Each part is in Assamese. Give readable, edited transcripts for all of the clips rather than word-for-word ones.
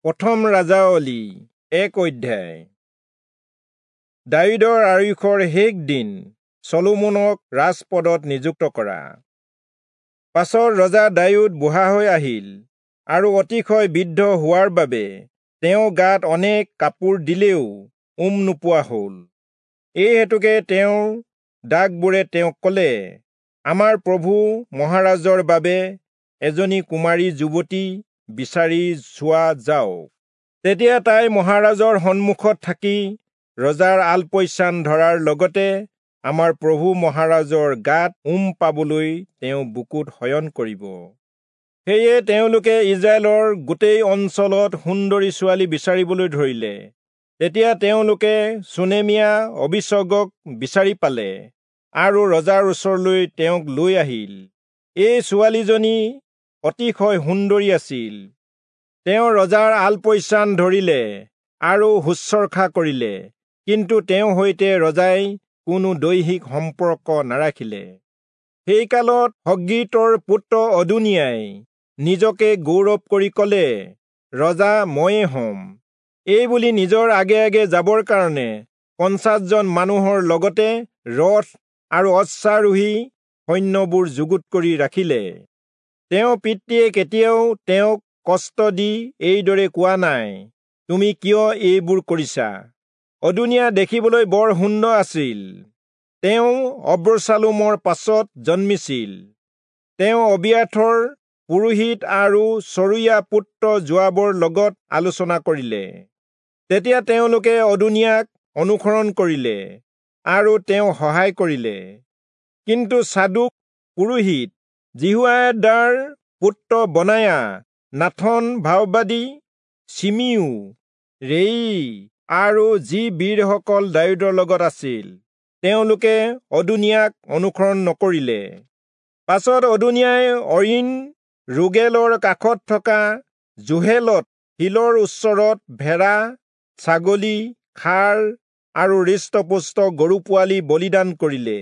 প্ৰথম ৰাজাৱলী 1 অধ্যায়। দায়ূদৰ আয়ুসৰ শেষ দিন চলোমনক ৰাজপদত নিযুক্ত কৰা। পাছত ৰজা দায়ূদ বুঢ়া হৈ আহিল আৰু অতিশয় বৃদ্ধ হোৱাৰ বাবে তেওঁ গাত অনেক কাপোৰ দিলেও উম নোপোৱা হ'ল। এই হেতুকে তেওঁৰ দাসবোৰে তেওঁক ক'লে, আমাৰ প্ৰভু মহাৰাজৰ বাবে এজনী কুমাৰী যুৱতী বিচাৰি চোৱা যাওক। তেতিয়া তাই মহাৰাজৰ সন্মুখত থাকি ৰজাৰ আলপৈচান ধৰাৰ লগতে আমাৰ প্ৰভু মহাৰাজৰ গাত উম পাবলৈ তেওঁ বুকুত শয়ন কৰিব। সেয়ে তেওঁলোকে ইজৰাইলৰ গোটেই অঞ্চলত সুন্দৰী ছোৱালী বিচাৰিবলৈ ধৰিলে। তেতিয়া তেওঁলোকে চুনেমীয়া অবিচগক বিচাৰি পালে আৰু ৰজাৰ ওচৰলৈ তেওঁক লৈ আহিল। এই ছোৱালীজনী অতিশয় সুন্দৰী আছিল। তেওঁ ৰজাৰ আলপৈচান ধৰিলে আৰু শুশ্ৰূষা কৰিলে, কিন্তু তেওঁৰ সৈতে ৰজাই কোনো দৈহিক সম্পৰ্ক নাৰাখিলে। সেই কালত হগ্গীতৰ পুত্ৰ অদোনিয়াই নিজকে গৌৰৱ কৰি ক'লে, ৰজা ময়ে হ'ম। এই বুলি নিজৰ আগে আগে যাবৰ কাৰণে 50 জন মানুহৰ লগতে ৰথ আৰু অশ্বাৰোহী সৈন্যবোৰ যুগুত কৰি ৰাখিলে। তেওঁ পিতৃয়ে কেতিয়াও তেওঁক কষ্ট দি এইদৰে কোৱা নাই, তুমি কিয় এইবোৰ কৰিছা? অদোনিয়া দেখিবলৈ বৰ সুন্দৰ আছিল। তেওঁ অবচালোমৰ পাছত জন্মিছিল। তেওঁ অবিয়াথৰ পুৰোহিত আৰু চৰুয়া পুত্ৰ যোৱাবৰ লগত আলোচনা কৰিলে। তেতিয়া তেওঁলোকে অদোনিয়াক অনুসৰণ কৰিলে আৰু তেওঁ সহায় কৰিলে। কিন্তু চাদোক পুৰোহিত, যিহোয়াদাৰ পুত্ৰ বনায়া, নাথন ভাববাদী, চিমিও, ৰেই আৰু যি বীৰসকল দায়ূদৰ লগত আছিল, তেওঁলোকে অদোনিয়াক অনুসৰণ নকৰিলে। পাছত অদোনিয়াই অইন ৰোগেলৰ কাষত থকা জোহেলত শিলৰ ওচৰত ভেড়া, ছাগলী, ষাঁড় আৰু হৃষ্টপুষ্ট গৰু পোৱালি বলিদান কৰিলে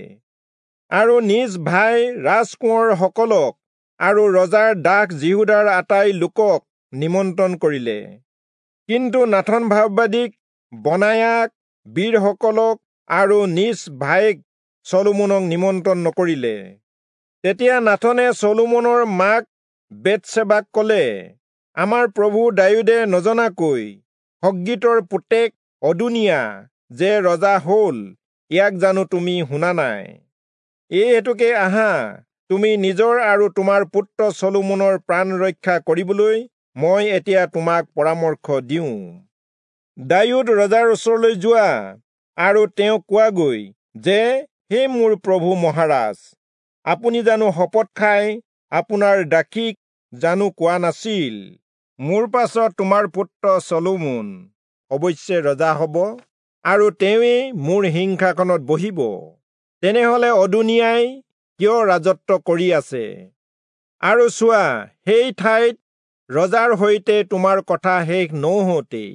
আৰু নিজ ভাই ৰাজকোঁৱৰসকলক আৰু ৰজাৰ দাস যিহূদাৰ আটাই লোকক নিমন্ত্ৰণ কৰিলে। কিন্তু নাথন ভাববাদীক, বনায়াক, বীৰসকলক আৰু নিজ ভায়েক চলোমনক নিমন্ত্ৰণ নকৰিলে। তেতিয়া নাথনে চলোমনৰ মাক বেতচেবাক ক'লে, আমাৰ প্ৰভু দায়ূদে নজনাকৈ হগ্গীতৰ পুতেক অদোনিয়া যে ৰজা হ'ল, ইয়াক জানো তুমি শুনা নাই? এই হেতুকে আহা, তুমি নিজৰ আৰু তোমাৰ পুত্ৰ চলোমনৰ প্ৰাণ ৰক্ষা কৰিবলৈ মই এতিয়া তোমাক পৰামৰ্শ দিওঁ। দায়ূদ ৰজাৰ ওচৰলৈ যোৱা আৰু তেওঁক কোৱাগৈ যে, হে মোৰ প্ৰভু মহাৰাজ, আপুনি জানো শপত খাই আপোনাৰ দাসীক জানো কোৱা নাছিল, মোৰ পাছত তোমাৰ পুত্ৰ চলোমন অৱশ্যে ৰজা হ'ব আৰু তেওঁৱেই মোৰ সিংহাসনত বহিব। তেনেহলে অদোনিয়াই কিয় ৰাজত্ব কৰি আছে? আৰু চোৱা, সেই ঠাইত ৰজাৰ সৈতে তোমাৰ কথা শেষ নৌহওঁতেই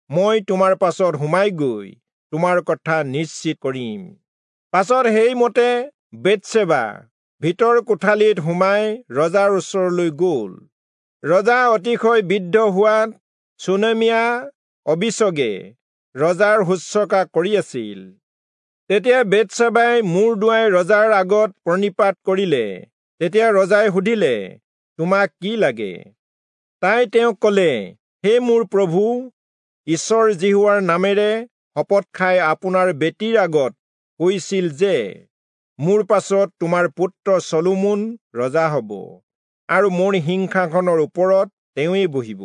মই তোমাৰ পাছত সোমাই গৈ তোমাৰ কথা নিশ্চিত কৰিম। পাছত সেইমতে বেতচেবা ভিতৰ কোঠালিত সোমাই ৰজাৰ ওচৰলৈ গ'ল। ৰজা অতিশয় বৃদ্ধ হোৱাত চুনেমীয়া অবিচগে ৰজাৰ শুশ্ৰূষা কৰি আছিল। তেতিয়া বেতচেবাই মূৰ দোঁৱাই ৰজাৰ আগত প্ৰণিপাত কৰিলে। তেতিয়া ৰজাই সুধিলে, তোমাক কি লাগে? তাই তেওঁক ক'লে, হে মোৰ প্ৰভু, ঈশ্বৰ যিহোৱাৰ নামেৰে শপত খাই আপোনাৰ বেটীৰ আগত কৈছিল যে, মোৰ পাছত তোমাৰ পুত্ৰ চলোমন ৰজা হ'ব আৰু মোৰ সিংহাসনৰ ওপৰত তেওঁৱেই বহিব।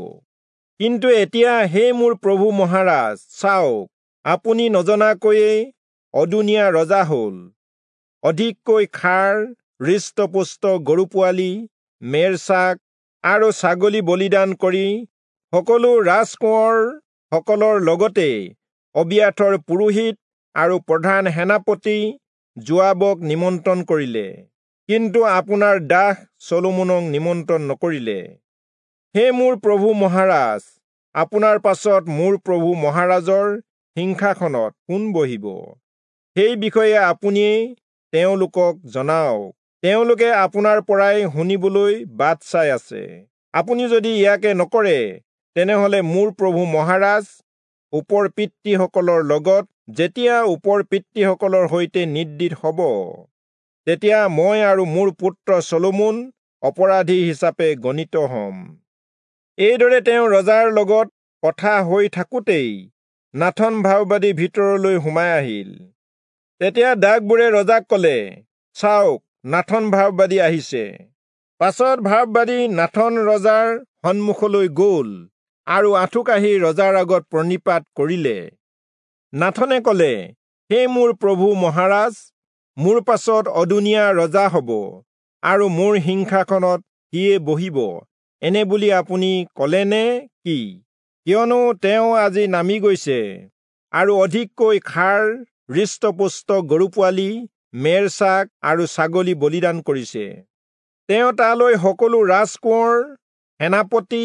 কিন্তু এতিয়া হে মোৰ প্ৰভু মহাৰাজ, চাওক, আপুনি নজনাকৈয়ে অদোনিয়া ৰজা হ'ল। অধিককৈ ষাঁড়, হৃষ্টপুষ্ট গৰু পোৱালি, মেৰছাক আৰু ছাগলী বলিদান কৰি সকলো ৰাজকোঁৱৰ সকলৰ লগতে অবিয়াথৰ পুৰোহিত আৰু প্ৰধান সেনাপতি যোৱাবক নিমন্ত্ৰণ কৰিলে, কিন্তু আপোনাৰ দাস চলোমনক নিমন্ত্ৰণ নকৰিলে। হে মোৰ প্ৰভু মহাৰাজ, আপোনাৰ পাছত মোৰ প্ৰভু মহাৰাজৰ সিংহাসনত কোন বহিব, সেই বিষয়ে আপুনিয়েই তেওঁলোকক জনাওক। তেওঁলোকে আপোনাৰ পৰাই শুনিবলৈ বাট চাই আছে। আপুনি যদি ইয়াকে নকৰে, তেনেহলে মোৰ প্ৰভু মহাৰাজ ওপৰ পিতৃসকলৰ লগত যেতিয়া ওপৰ পিতৃসকলৰ সৈতে নিদ্ৰিত হ'ব, তেতিয়া মই আৰু মোৰ পুত্ৰ চলোমন অপৰাধী হিচাপে গণিত হ'ম। এইদৰে তেওঁ ৰজাৰ লগত কথা হৈ থাকোঁতেই নাথন ভাববাদী ভিতৰলৈ সোমাই আহিল। তেতিয়া দাসবোৰে ৰজাক ক'লে, চাওক, নাথন ভাববাদী আহিছে। পাছত ভাববাদী নাথন ৰজাৰ সন্মুখলৈ গ'ল আৰু আঁঠুকাঢ়ি ৰজাৰ আগত প্ৰণিপাত কৰিলে। নাথনে ক'লে, হে মোৰ প্ৰভু মহাৰাজ, মোৰ পাছত অদোনিয়া ৰজা হ'ব আৰু মোৰ সিংহাসনত সিয়ে বহিব, এনে বুলি আপুনি ক'লে নে কি? কিয়নো তেওঁ আজি নামি গৈছে আৰু অধিককৈ খাৰ, হৃষ্টপুষ্ট গৰু পোৱালি, মেৰ ছাগ আৰু ছাগলী বলিদান কৰিছে। তেওঁ তালৈ সকলো ৰাজকোঁৱৰ, সেনাপতি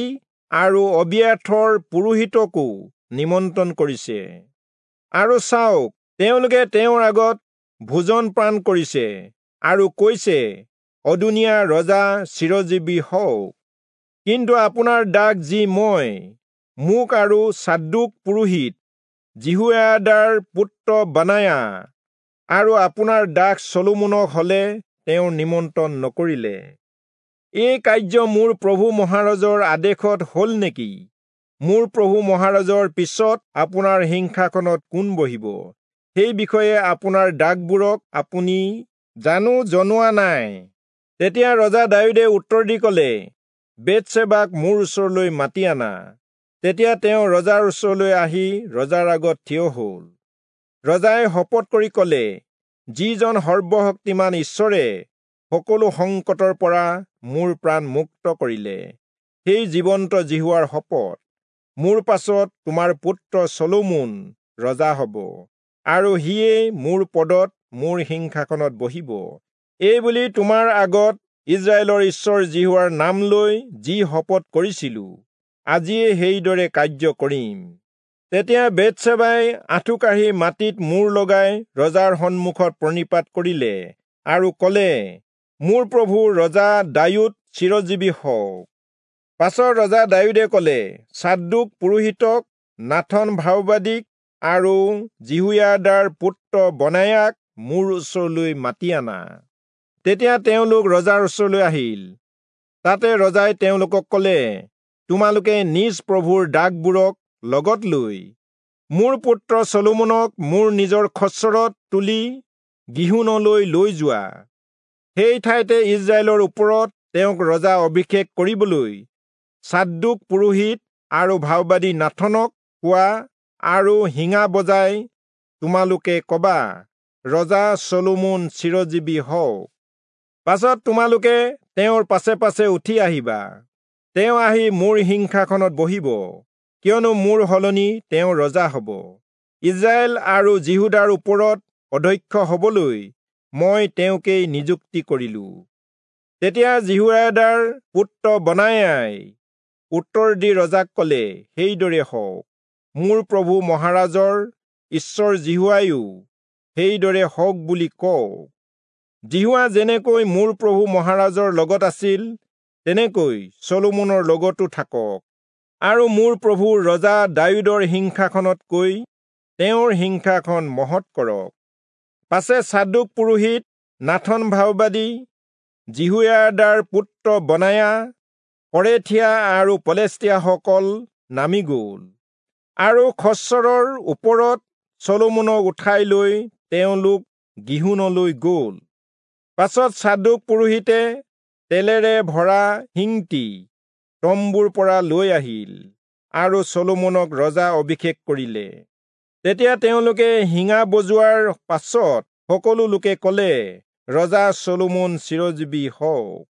আৰু অবিয়াথৰ পুৰোহিতকো নিমন্ত্ৰণ কৰিছে। আৰু চাওক, তেওঁলোকে তেওঁৰ আগত ভোজন পান কৰিছে আৰু কৈছে, অদোনিয়া ৰজা চিৰজীৱী হওক। কিন্তু আপোনাৰ দাস যি মই, মোক আৰু চাদোক পুৰোহিত, যিহোয়াদাৰ পুত্ৰ বনায়া আৰু আপোনাৰ দাস চলোমনক হলে তেওঁ নিমন্ত্ৰণ নকৰিলে। এই কাৰ্য মোৰ প্ৰভু মহাৰাজৰ আদেশত হ'ল নেকি? মোৰ প্ৰভু মহাৰাজৰ পিছত আপোনাৰ সিংহাসনত কোন বহিব, সেই বিষয়ে আপোনাৰ দাসবোৰক আপুনি জানো জনোৱা নাই? তেতিয়া ৰজা দায়ূদে উত্তৰ দি ক'লে, বেতচেবাক মোৰ ওচৰলৈ মাতি আনা। তেতিয়া তেওঁ ৰজাৰ ওচৰলৈ আহি ৰজাৰ আগত থিয় হ'ল। ৰজাই শপত কৰি ক'লে, যিজন সৰ্বশক্তিমান ঈশ্বৰে সকলো সংকটৰ পৰা মোৰ প্ৰাণ মুক্ত কৰিলে, সেই জীৱন্ত যিহোৱাৰ শপত, মোৰ পাছত তোমাৰ পুত্ৰ চলোমন ৰজা হ'ব আৰু সিয়েই মোৰ পদত মোৰ সিংহাসনত বহিব। এই বুলি তোমাৰ আগত ইস্ৰায়েলৰ ঈশ্বৰ যিহোৱাৰ নাম লৈ যি শপত কৰিছিলো, আজিয়ে সেইদৰে কাৰ্য কৰিম। তেতিয়া বেতচেবাই আঁঠুকাঢ়ি মাটিত মূৰ লগাই ৰজাৰ সন্মুখত প্ৰণিপাত কৰিলে আৰু ক'লে, মোৰ প্ৰভু ৰজা দায়ূদ চিৰজীৱী হওক। পাছত ৰজা দায়ূদে ক'লে, চাদোক পুৰোহিতক, নাথন ভাববাদীক আৰু যিহোয়াদাৰ পুত্ৰ বনায়াক মোৰ ওচৰলৈ মাতি আনা। তেতিয়া তেওঁলোক ৰজাৰ ওচৰলৈ আহিল। তাতে ৰজাই তেওঁলোকক ক'লে, তোমালোকে নিজ প্ৰভুৰ দাসবোৰক লগত লৈ মোৰ পুত্ৰ চলোমনক মোৰ নিজৰ খচ্চৰত তুলি গিহোনলৈ লৈ যোৱা। সেই ঠাইতে ইস্ৰায়েলৰ ওপৰত তেওঁক ৰজা অভিষেক কৰিবলৈ চাদোক পুৰোহিত আৰু ভাববাদী নাথনক কোৱা আৰু শিঙা বজাই তোমালোকে কবা, ৰজা চলোমন চিৰজীৱী হওক। পাছত তোমালোকে তেওঁৰ পাছে পাছে উঠি আহিবা। তেওঁ আহি মোৰ সিংহাসনত বহিব, কিয়নো মোৰ সলনি তেওঁ ৰজা হ'ব। ইস্ৰায়েল আৰু যিহূদাৰ ওপৰত অধ্যক্ষ হ'বলৈ মই তেওঁকেই নিযুক্তি কৰিলো। তেতিয়া যিহোয়াদাৰ পুত্ৰ বনায়াই উত্তৰ দি ৰজাক ক'লে, সেইদৰে হওক, মোৰ প্ৰভু মহাৰাজৰ ঈশ্বৰ যিহোৱায়ো সেইদৰে হওক বুলি কওক। যিহোৱা যেনেকৈ মোৰ প্ৰভু মহাৰাজৰ লগত আছিল, তেনেকৈ চলোমনৰ লগতো থাকক, আৰু মোৰ প্ৰভু ৰজা দায়ূদৰ সিংহাসনতকৈ তেওঁৰ সিংহাসন মহৎ কৰক। পাছে চাদোক পুৰোহিত, নাথন ভাববাদী, যিহোয়াদাৰ পুত্ৰ বনায়া, কৰেথীয়া আৰু পলেষ্টীয়াসকল নামি গ'ল আৰু খচ্চৰৰ ওপৰত চলোমনক উঠাই লৈ তেওঁলোক গিহোনলৈ গ'ল। পাছত চাদোক পুৰোহিতে তেলেৰে ভৰা শিংটি তম্বুৰ পৰা লৈ আহিল আৰু চলোমনক ৰজা অভিষেক কৰিলে। তেতিয়া তেওঁলোকে শিঙা বজোৱাৰ পাছত সকলো লোকে ক'লে, ৰজা চলোমন চিৰজীৱী হওক।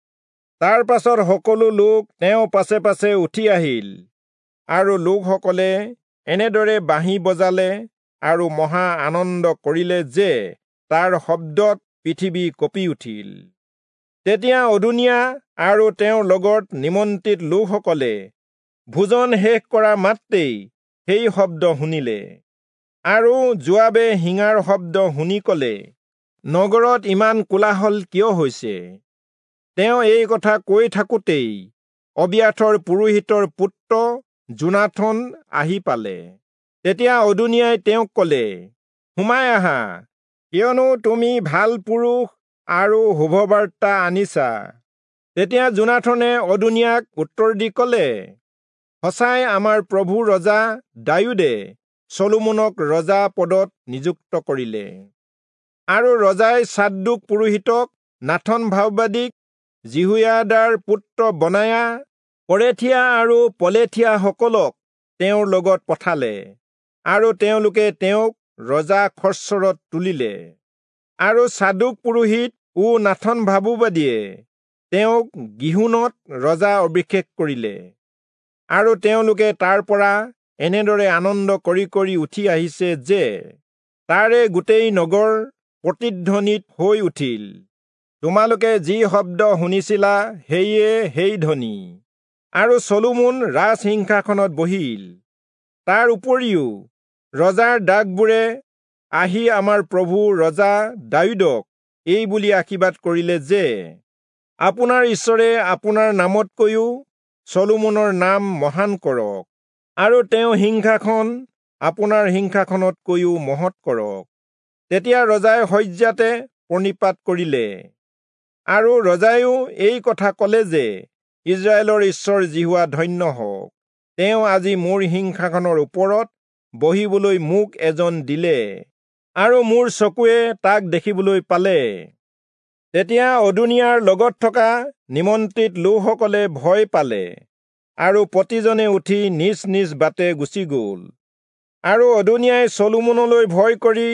তাৰ পাছত সকলো লোক তেওঁ পাছে পাছে উঠি আহিল আৰু লোকসকলে এনেদৰে বাঁহী বজালে আৰু মহা আনন্দ কৰিলে যে তাৰ শব্দত পৃথিৱী কঁপি উঠিল। তেতিয়া অদোনিয়া আৰু তেওঁৰ লগত নিমন্ত্ৰিত লোকসকলে ভোজন শেষ কৰা মাত্ৰেই সেই শব্দ শুনিলে। আৰু যোৱাবে শিঙাৰ শব্দ শুনি ক'লে, নগৰত ইমান কোলাহল কিয় হৈছে? তেওঁ এই কথা কৈ থাকোঁতেই অবিয়াথৰ পুৰোহিতৰ পুত্ৰ যোনাথন আহি পালে। তেতিয়া অদোনিয়াই তেওঁক কলে, সোমাই আহা, কিয়নো তুমি ভাল পুৰুষ আৰু শুভবাৰ্তা আনিছা। তেতিয়া যোনাথনে অদোনিয়াক উত্তৰ দি কলে, সঁচাই আমাৰ প্ৰভু ৰজা দায়ূদে চলোমনক ৰজা পদত নিযুক্ত কৰিলে। আৰু ৰজাই চাদোক পুৰোহিতক, নাথন ভাববাদীক, যিহোয়াদাৰ পুত্ৰ বনায়া, কৰেথীয়া আৰু পলেথীয়াসকলক তেওঁৰ লগত পঠালে, আৰু তেওঁলোকে তেওঁক ৰজা খচ্চৰত তুলিলে। আৰু চাদোক পুৰোহিত ও নাথন ভাববাদীয়ে তেওঁক গিহোনত ৰজা অভিষেক কৰিলে। আৰু তেওঁলোকে তাৰ পৰা এনেদৰে আনন্দ কৰি কৰি উঠি আহিছে যে তাৰে গোটেই নগৰ প্ৰতিধ্বনিত হৈ উঠিল। তোমালোকে যি শব্দ শুনিছিলা সেয়ে সেই ধ্বনি। আৰু চলোমন ৰাজসিংহাসনত বহিল। তাৰ উপৰিও ৰজাৰ দাসবোৰে আহি আমাৰ প্ৰভু ৰজা দায়ূদক এই বুলি আশীৰ্বাদ কৰিলে যে, আপোনাৰ ঈশ্বৰে আপোনাৰ নামতকৈও চলোমনৰ নাম মহান কৰক, আৰু তেওঁ সিংহাসন আপোনাৰ সিংহাসনতকৈও মহৎ কৰক। তেতিয়া ৰজাই শয্যাতে প্ৰণিপাত কৰিলে। আৰু ৰজায়ো এই কথা কলে যে, ইস্ৰায়েলৰ ঈশ্বৰ যিহোৱা ধন্য হওক, তেওঁ আজি মোৰ সিংহাসনৰ ওপৰত বহিবলৈ মোক এজন দিলে, আৰু মোৰ চকুৱে তাক দেখিবলৈ পালে। তেতিয়া অদোনিয়াৰ লগত থকা নিমন্ত্ৰিত লোকসকলে ভয় পালে, আৰু প্ৰতিজনে উঠি নিজ নিজ বাটে গুচি গ'ল। আৰু অদোনিয়াই চলোমনলৈ ভয় কৰি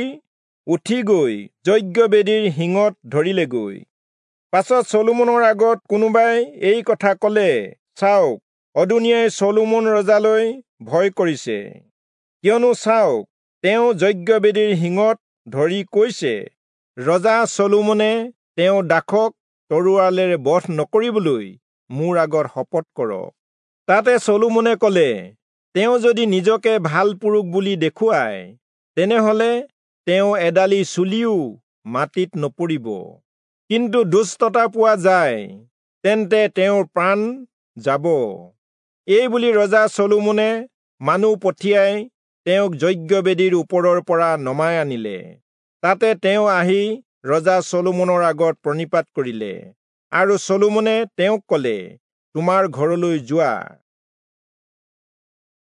উঠি গৈ যজ্ঞবেদীৰ শিঙত ধৰিলেগৈ। পাছত চলোমনৰ আগত কোনোবাই এই কথা কলে, চাওক, অদোনিয়াই চলোমন ৰজালৈ ভয় কৰিছে, কিয়নো চাওক, তেওঁ যজ্ঞবেদীৰ শিঙত ধৰি কৈছে, ৰজা চলোমনে তেওঁ দাসক তৰোৱালেৰে বধ নকৰিবলৈ মোৰ আগত শপত কৰক। তাতে চলোমনে কলে, তেওঁ যদি নিজকে ভাল পুৰুষ বুলি দেখুৱায়, তেনেহলে তেওঁ এডালি চুলিও মাটিত নপৰিব, কিন্তু দুষ্টতা পোৱা যায় তেন্তে তেওঁৰ প্ৰাণ যাব। এই বুলি ৰজা চলোমনে মানুহ পঠিয়াই তেওঁক যজ্ঞবেদীৰ ওপৰৰ পৰা নমাই আনিলে। তাতে তেওঁ আহি ৰজা চলোমনৰ আগত প্ৰণিপাত কৰিলে, আৰু চলোমনে তেওঁক কলে, তোমাৰ ঘৰলৈ যোৱা।